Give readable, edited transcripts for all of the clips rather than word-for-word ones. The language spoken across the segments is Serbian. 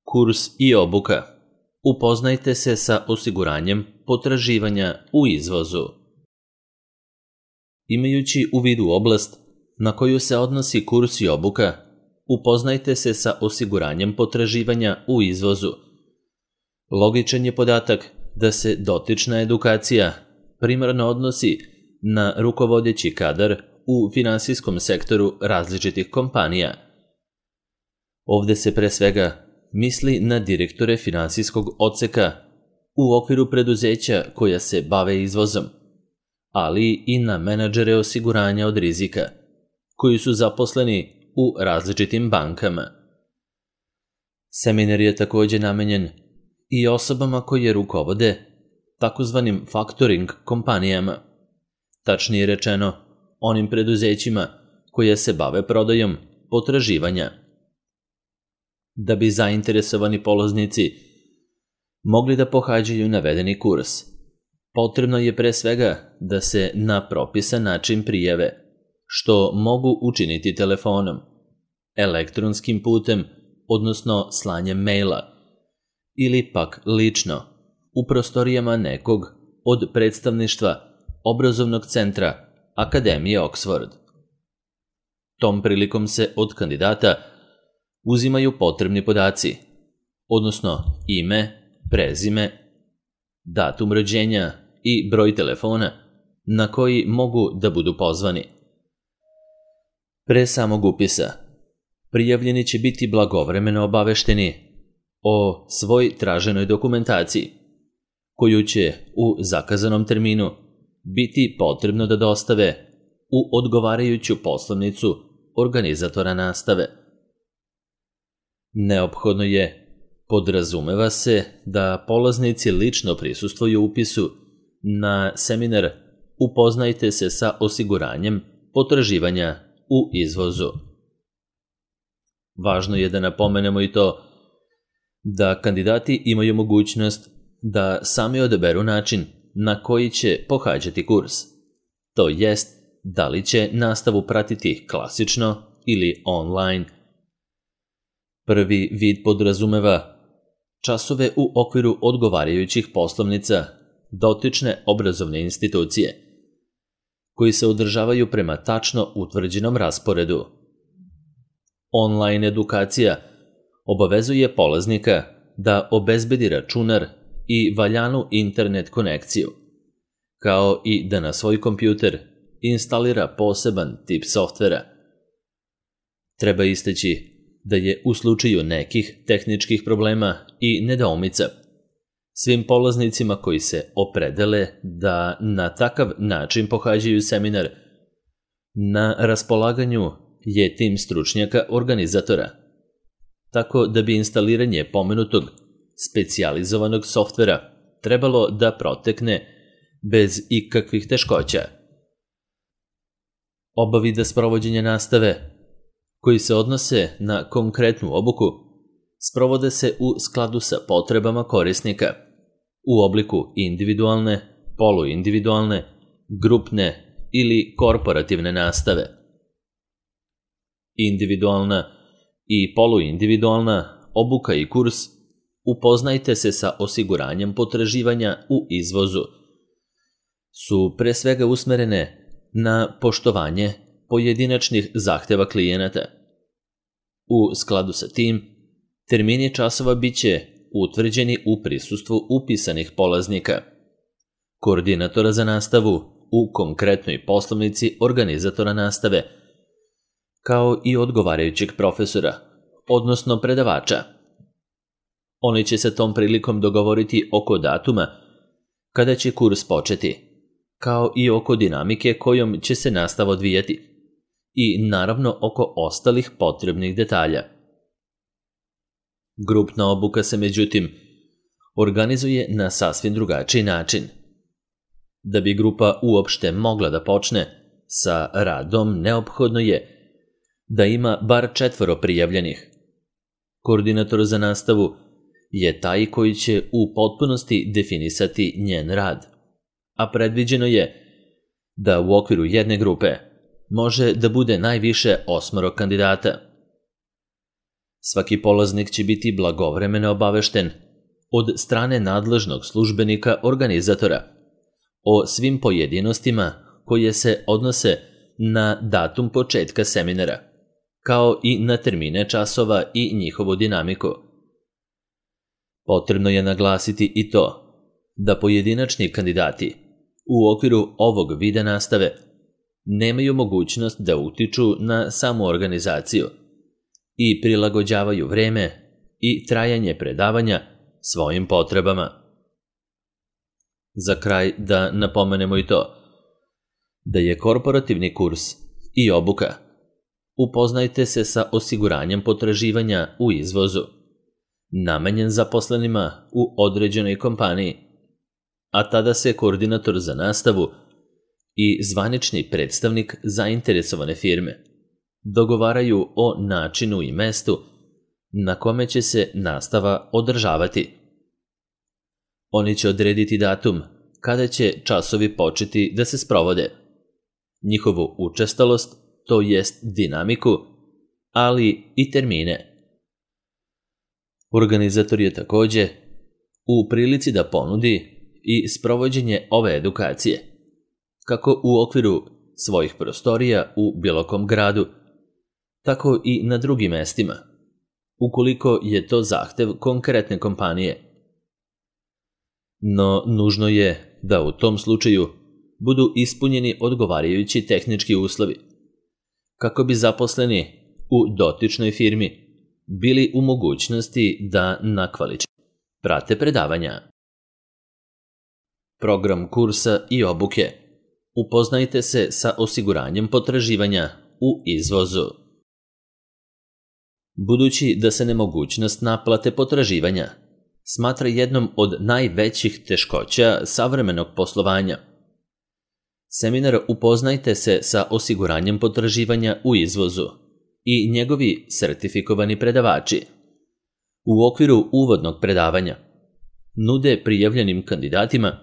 Kurs i obuka. Upoznajte se sa osiguranjem potraživanja u izvozu. Imajući u vidu oblast na koju se odnosi kurs i obuka, upoznajte se sa osiguranjem potraživanja u izvozu. Logičan je podatak da se dotična edukacija primarno odnosi na rukovodeći kadar u finansijskom sektoru različitih kompanija. Ovde se pre svega misli na direktore finansijskog odseka u okviru preduzeća koja se bave izvozom, ali i na menadžere osiguranja od rizika, koji su zaposleni u različitim bankama. Seminar je takođe namenjen i osobama koje rukovode takozvanim faktoring kompanijama, tačnije rečeno onim preduzećima koje se bave prodajom potraživanja. Da bi zainteresovani polaznici mogli da pohađaju navedeni kurs, potrebno je pre svega da se na propisan način prijave, što mogu učiniti telefonom, elektronskim putem, odnosno slanjem maila, ili pak lično, u prostorijama nekog od predstavništva obrazovnog centra Akademije Oxford. Tom prilikom se od kandidata uzimaju potrebni podaci, odnosno ime, prezime, datum rođenja i broj telefona na koji mogu da budu pozvani. Pre samog upisa, prijavljeni će biti blagovremeno obavešteni o svoj traženoj dokumentaciji, koju će u zakazanom terminu biti potrebno da dostave u odgovarajuću poslovnicu organizatora nastave. Neophodno je, podrazumeva se, da polaznici lično prisustvuju upisu na seminar Upoznajte se sa osiguranjem potraživanja u izvozu. Važno je da napomenemo i to da kandidati imaju mogućnost da sami odaberu način na koji će pohađati kurs, to jest da li će nastavu pratiti klasično ili online. Prvi vid podrazumeva časove u okviru odgovarajućih poslovnica dotične obrazovne institucije, koji se održavaju prema tačno utvrđenom rasporedu. Online edukacija obavezuje polaznika da obezbedi računar i valjanu internet konekciju, kao i da na svoj kompjuter instalira poseban tip softvera. Treba istaći da je u slučaju nekih tehničkih problema i nedoumica svim polaznicima koji se opredele da na takav način pohađaju seminar, na raspolaganju je tim stručnjaka organizatora, tako da bi instaliranje pomenutog specijalizovanog softvera trebalo da protekne bez ikakvih teškoća. Oba vida sprovođenja nastave, koji se odnose na konkretnu obuku, sprovode se u skladu sa potrebama korisnika, u obliku individualne, poluindividualne, grupne ili korporativne nastave. Individualna i poluindividualna obuka i kurs Upoznajte se sa osiguranjem potraživanja u izvozu su pre svega usmerene na poštovanje pojedinačnih zahteva klijenata. U skladu sa tim, termini časova biće utvrđeni u prisustvu upisanih polaznika, koordinatora za nastavu u konkretnoj poslovnici organizatora nastave, kao i odgovarajućeg profesora, odnosno predavača. Oni će se tom prilikom dogovoriti oko datuma kada će kurs početi, kao i oko dinamike kojom će se nastava odvijati i naravno oko ostalih potrebnih detalja. Grupna obuka se međutim organizuje na sasvim drugačiji način. Da bi grupa uopšte mogla da počne sa radom, neophodno je da ima bar 4 prijavljenih. Koordinator za nastavu je taj koji će u potpunosti definisati njen rad, a predviđeno je da u okviru jedne grupe može da bude najviše 8 kandidata. Svaki polaznik će biti blagovremeno obavešten od strane nadležnog službenika organizatora o svim pojedinostima koje se odnose na datum početka seminara, kao i na termine časova i njihovu dinamiku. Potrebno je naglasiti i to da pojedinačni kandidati u okviru ovog vida nastave nemaju mogućnost da utiču na samu organizaciju i prilagođavaju vreme i trajanje predavanja svojim potrebama. Za kraj da napomenemo i to da je korporativni kurs i obuka upoznajte se sa osiguranjem potraživanja u izvozu, namenjen zaposlenima u određenoj kompaniji, a tada se koordinator za nastavu i zvanični predstavnik zainteresovane firme dogovaraju o načinu i mestu na kome će se nastava održavati. Oni će odrediti datum kada će časovi početi da se sprovode, njihovu učestalost, to jest dinamiku, ali i termine. Organizator je takođe u prilici da ponudi i sprovođenje ove edukacije, kako u okviru svojih prostorija u bilo kom gradu, tako i na drugim mestima, ukoliko je to zahtev konkretne kompanije. No, nužno je da u tom slučaju budu ispunjeni odgovarajući tehnički uslovi, kako bi zaposleni u dotičnoj firmi bili u mogućnosti da na kvalitet prate predavanja. Program kursa i obuke. Upoznajte se sa osiguranjem potraživanja u izvozu. Budući da se nemogućnost naplate potraživanja smatra jednom od najvećih teškoća savremenog poslovanja, seminar Upoznajte se sa osiguranjem potraživanja u izvozu i njegovi sertifikovani predavači u okviru uvodnog predavanja nude prijavljenim kandidatima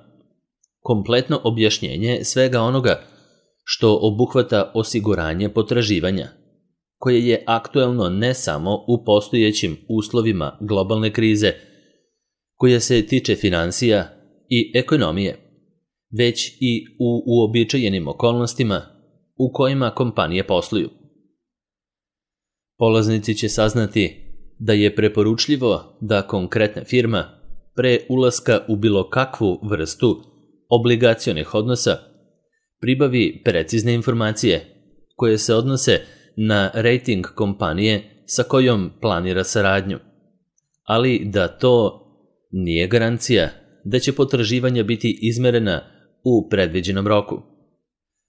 kompletno objašnjenje svega onoga što obuhvata osiguranje potraživanja, koje je aktuelno ne samo u postojećim uslovima globalne krize, koja se tiče finansija i ekonomije, već i u uobičajenim okolnostima u kojima kompanije posluju. Polaznici će saznati da je preporučljivo da konkretna firma pre ulaska u bilo kakvu vrstu obligacionih odnosa pribavi precizne informacije koje se odnose na rating kompanije sa kojom planira saradnju, ali da to nije garancija da će potraživanja biti izmerena u predviđenom roku,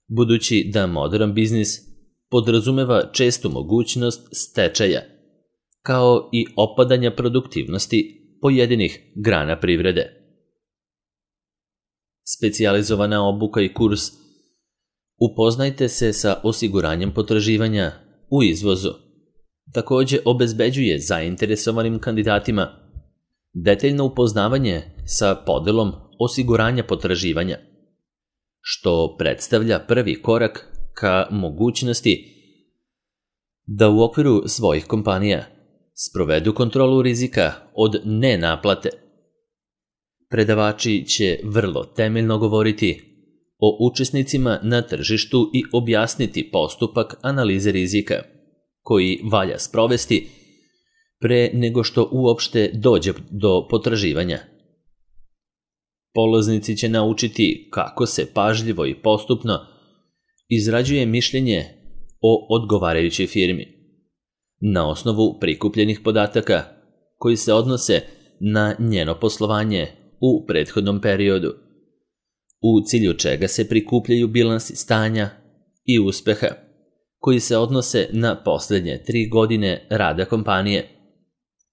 budući da moderan biznis podrazumeva čestu mogućnost stečaja, kao i opadanja produktivnosti pojedinih grana privrede. Specijalizovana obuka i kurs Upoznajte se sa osiguranjem potraživanja u izvozu takođe obezbeđuje zainteresovanim kandidatima detaljno upoznavanje sa podelom osiguranja potraživanja, što predstavlja prvi korak ka mogućnosti da u okviru svojih kompanija sprovedu kontrolu rizika od nenaplate. Predavači će vrlo temeljno govoriti o učesnicima na tržištu i objasniti postupak analize rizika, koji valja sprovesti pre nego što uopšte dođe do potraživanja. Polaznici će naučiti kako se pažljivo i postupno izrađuje mišljenje o odgovarajućoj firmi, na osnovu prikupljenih podataka koji se odnose na njeno poslovanje u prethodnom periodu, u cilju čega se prikupljaju bilansi stanja i uspeha koji se odnose na poslednje 3 godine rada kompanije,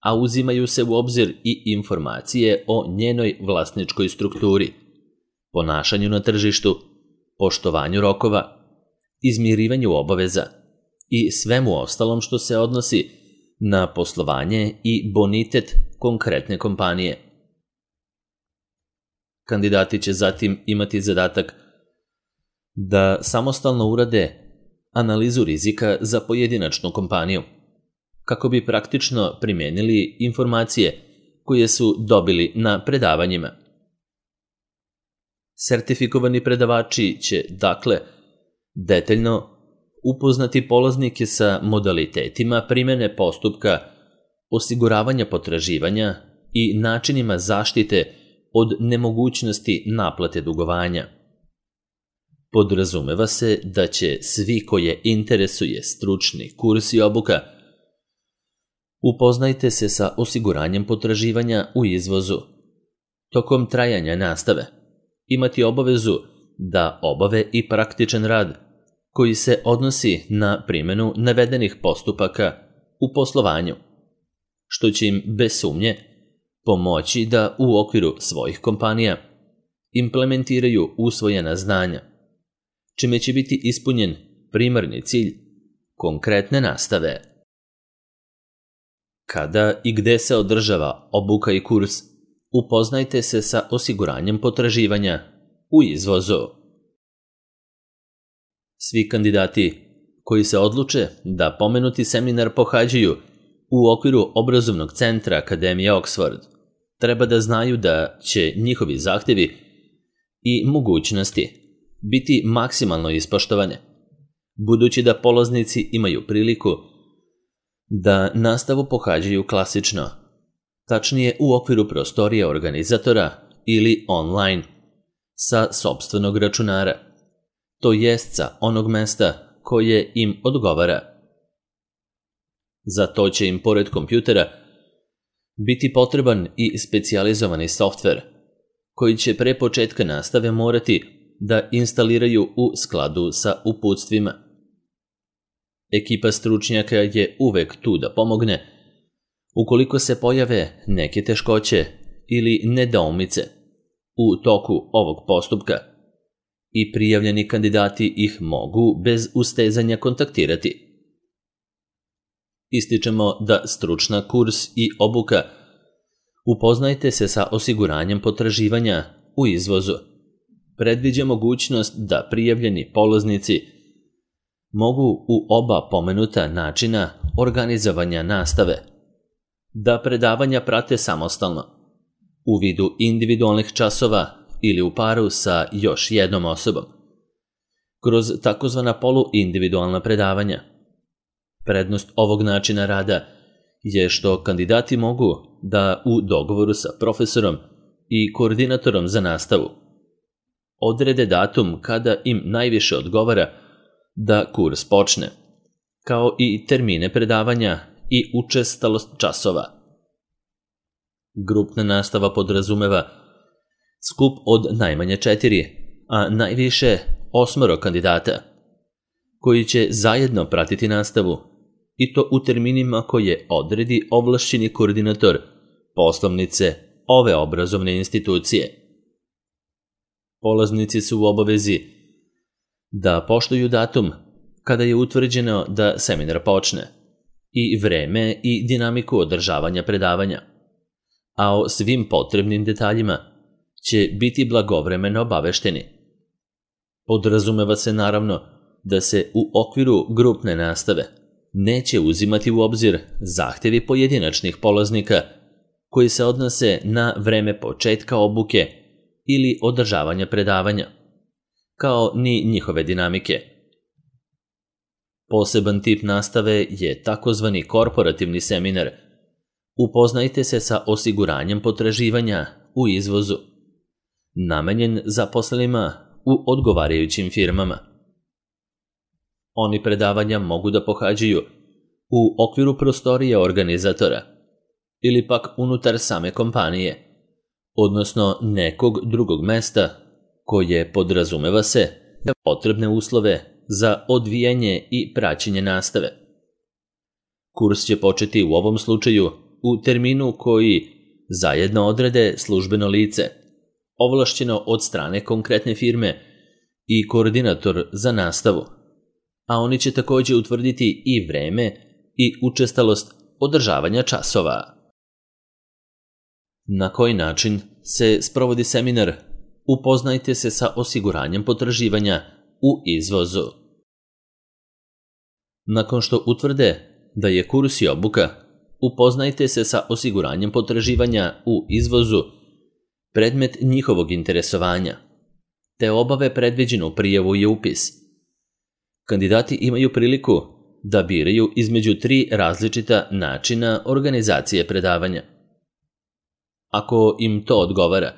a uzimaju se u obzir i informacije o njenoj vlasničkoj strukturi, ponašanju na tržištu, poštovanju rokova, izmirivanju obaveza i svemu ostalom što se odnosi na poslovanje i bonitet konkretne kompanije. Kandidati će zatim imati zadatak da samostalno urade analizu rizika za pojedinačnu kompaniju, kako bi praktično primijenili informacije koje su dobili na predavanjima. Sertifikovani predavači će, dakle, detaljno upoznati polaznike sa modalitetima primjene postupka osiguravanja potraživanja i načinima zaštite od nemogućnosti naplate dugovanja. Podrazumeva se da će svi koje interesuje stručni kurs i obuka upoznajte se sa osiguranjem potraživanja u izvozu. Tokom trajanja nastave imati obavezu da obave i praktičan rad koji se odnosi na primjenu navedenih postupaka u poslovanju, što će im bez sumnje pomoći da u okviru svojih kompanija implementiraju usvojena znanja, čime će biti ispunjen primarni cilj konkretne nastave. Kada i gde se održava obuka i kurs, upoznajte se sa osiguranjem potraživanja u izvozu. Svi kandidati koji se odluče da pomenuti seminar pohađaju u okviru obrazovnog centra Akademije Oxford treba da znaju da će njihovi zahtjevi i mogućnosti biti maksimalno ispoštovane, budući da polaznici imaju priliku da nastavu pohađaju klasično, tačnije u okviru prostorija organizatora ili online, sa sopstvenog računara, to jest sa onog mesta koje im odgovara. Za to će im pored kompjutera biti potreban i specijalizovani softver, koji će pre početka nastave morati da instaliraju u skladu sa uputstvima. Ekipa stručnjaka je uvek tu da pomogne ukoliko se pojave neke teškoće ili nedoumice u toku ovog postupka i prijavljeni kandidati ih mogu bez ustezanja kontaktirati. Ističemo da stručna kurs i obuka upoznajte se sa osiguranjem potraživanja u izvozu predviđa mogućnost da prijavljeni polaznici mogu u oba pomenuta načina organizovanja nastave da predavanja prate samostalno, u vidu individualnih časova ili u paru sa još jednom osobom, kroz takozvana poluindividualna predavanja. Prednost ovog načina rada je što kandidati mogu da u dogovoru sa profesorom i koordinatorom za nastavu odrede datum kada im najviše odgovara da kurs počne, kao i termine predavanja i učestalost časova. Grupna nastava podrazumeva skup od najmanje 4, a najviše 8 kandidata, koji će zajedno pratiti nastavu i to u terminima koje odredi ovlašćeni koordinator poslovnice ove obrazovne institucije. Polaznici su u obavezi da poštuju datum kada je utvrđeno da seminar počne i vreme i dinamiku održavanja predavanja, a o svim potrebnim detaljima će biti blagovremeno obavešteni. Podrazumeva se naravno da se u okviru grupne nastave neće uzimati u obzir zahtjevi pojedinačnih polaznika koji se odnose na vreme početka obuke ili održavanja predavanja, kao ni njihove dinamike. Poseban tip nastave je takozvani korporativni seminar. Upoznajte se sa osiguranjem potraživanja u izvozu, namenjen zaposlenima u odgovarajućim firmama. Oni predavanja mogu da pohađaju u okviru prostorije organizatora ili pak unutar same kompanije, odnosno nekog drugog mesta koje podrazumeva se da potrebne uslove za odvijanje i praćenje nastave. Kurs će početi u ovom slučaju u terminu koji zajedno odrede službeno lice, ovlašćeno od strane konkretne firme i koordinator za nastavu, a oni će također utvrditi i vreme i učestalost održavanja časova. Na koji način se sprovodi seminar? Upoznajte se sa osiguranjem potraživanja u izvozu. Nakon što utvrde da je kurs i obuka upoznajte se sa osiguranjem potraživanja u izvozu predmet njihovog interesovanja, te obave predviđenu prijavu i upis. Kandidati imaju priliku da biraju između 3 različita načina organizacije predavanja. Ako im to odgovara,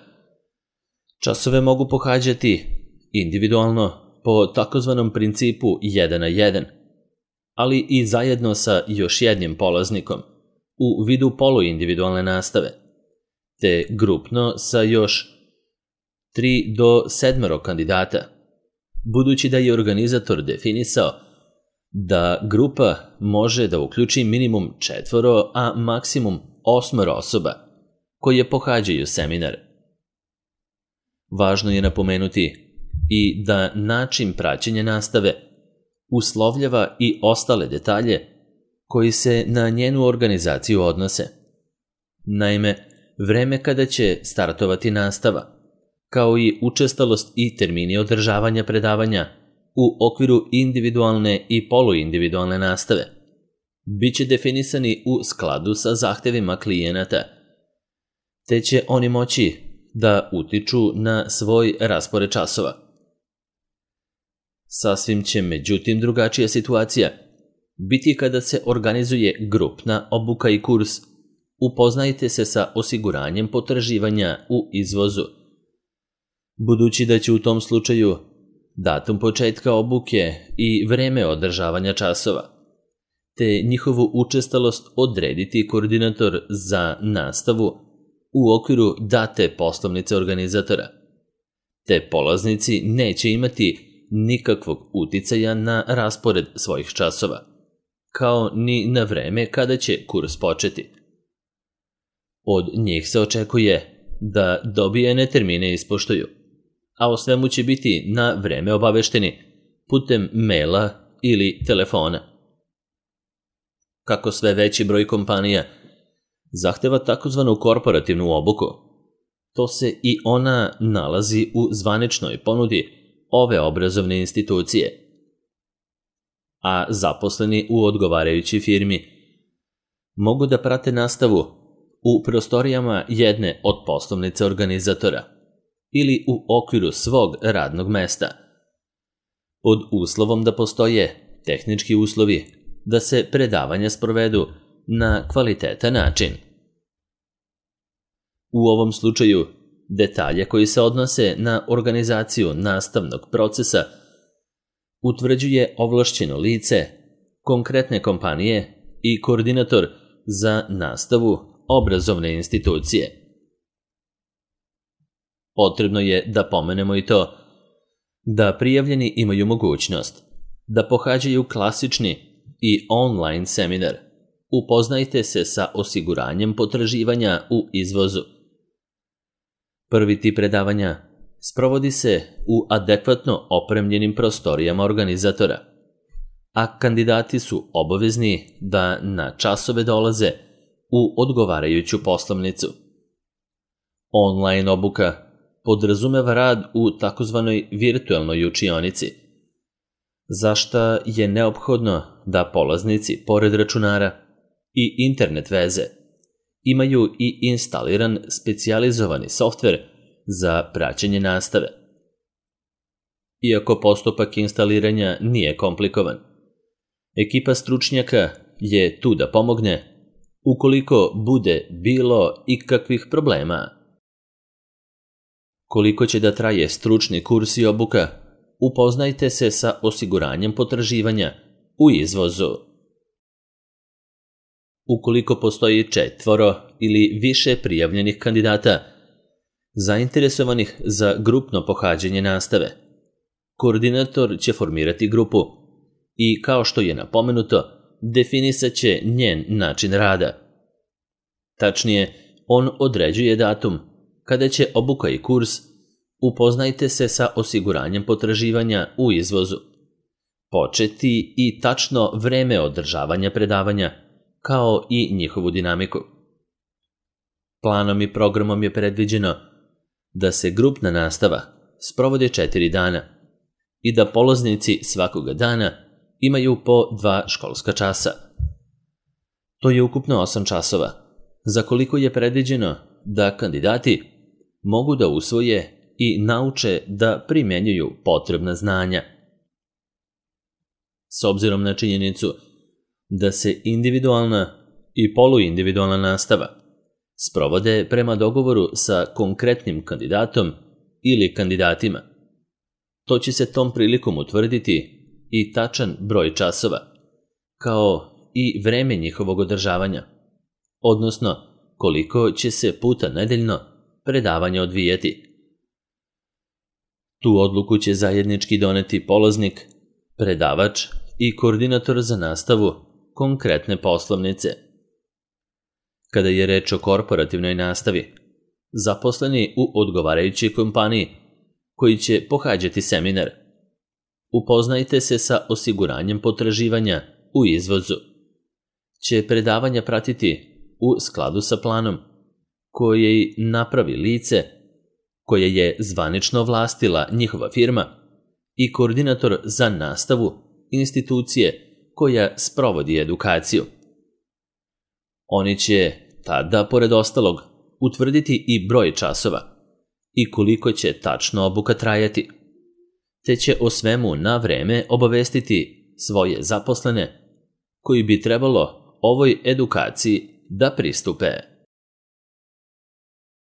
časove mogu pohađati individualno po takozvanom principu 1 na 1, ali i zajedno sa još jednim polaznikom u vidu poluindividualne nastave, te grupno sa još 3 do 7 kandidata, budući da je organizator definisao da grupa može da uključi minimum 4, a maksimum 8 osoba koje pohađaju seminar. Važno je napomenuti i da način praćenja nastave uslovljava i ostale detalje koji se na njenu organizaciju odnose. Naime, vreme kada će startovati nastava, kao i učestalost i termini održavanja predavanja u okviru individualne i poluindividualne nastave, bit će definisani u skladu sa zahtevima klijenata, te će oni moći da utiču na svoj raspored časova. Sasvim će međutim drugačija situacija biti kada se organizuje grupna obuka i kurs upoznajte se sa osiguranjem potraživanja u izvozu, budući da će u tom slučaju datum početka obuke i vreme održavanja časova, te njihovu učestalost odrediti koordinator za nastavu u okviru date poslovnice organizatora, te polaznici neće imati nikakvog uticaja na raspored svojih časova, kao ni na vreme kada će kurs početi. Od njih se očekuje da dobijene termine ispoštuju, a o svemu će biti na vreme obavešteni putem maila ili telefona. Kako sve veći broj kompanija zahteva takozvanu korporativnu obuku, to se i ona nalazi u zvaničnoj ponudi ove obrazovne institucije, a zaposleni u odgovarajućoj firmi mogu da prate nastavu u prostorijama jedne od poslovnice organizatora ili u okviru svog radnog mesta, pod uslovom da postoje tehnički uslovi da se predavanja sprovedu na kvalitetan način. U ovom slučaju, detalje koji se odnose na organizaciju nastavnog procesa utvrđuje ovlašćeno lice, konkretne kompanije i koordinator za nastavu obrazovne institucije. Potrebno je da pomenemo i to da prijavljeni imaju mogućnost da pohađaju klasični i online seminar. Upoznajte se sa osiguranjem potraživanja u izvozu. Prvi tip predavanja sprovodi se u adekvatno opremljenim prostorijama organizatora, a kandidati su obavezni da na časove dolaze u odgovarajuću poslovnicu. Online obuka podrazumeva rad u takozvanoj virtualnoj učionici, za šta je neophodno da polaznici, pored računara i internet veze, imaju i instaliran specijalizovani softver za praćenje nastave. Iako postupak instaliranja nije komplikovan, ekipa stručnjaka je tu da pomogne ukoliko bude bilo ikakvih problema. Koliko će da traje stručni kurs i obuka, upoznajte se sa osiguranjem potraživanja u izvozu. Ukoliko postoji 4 ili više prijavljenih kandidata zainteresovanih za grupno pohađanje nastave, koordinator će formirati grupu i, kao što je napomenuto, definisat će njen način rada. Tačnije, on određuje datum kada će obuka i kurs upoznajte se sa osiguranjem potraživanja u izvozu početi i tačno vreme održavanja predavanja, kao i njihovu dinamiku. Planom i programom je predviđeno da se grupna nastava sprovodi 4 dana i da polaznici svakoga dana imaju po 2 školska časa. To je ukupno 8 časova, za koliko je predviđeno da kandidati mogu da usvoje i nauče da primjenjuju potrebna znanja. S obzirom na činjenicu da se individualna i poluindividualna nastava sprovode prema dogovoru sa konkretnim kandidatom ili kandidatima, to će se tom prilikom utvrditi i tačan broj časova, kao i vreme njihovog održavanja, odnosno koliko će se puta nedeljno predavanje odvijati. Tu odluku će zajednički doneti polaznik, predavač i koordinator za nastavu konkretne poslovnice. Kada je reč o korporativnoj nastavi, zaposleni u odgovarajućoj kompaniji koji će pohađati seminar, upoznajte se sa osiguranjem potraživanja u izvozu, će predavanja pratiti u skladu sa planom koji napravi lice koje je zvanično ovlastila njihova firma i koordinator za nastavu institucije koja sprovodi edukaciju. Oni će tada, pored ostalog, utvrditi i broj časova i koliko će tačno obuka trajati, te će o svemu na vreme obavestiti svoje zaposlene koji bi trebalo ovoj edukaciji da pristupe.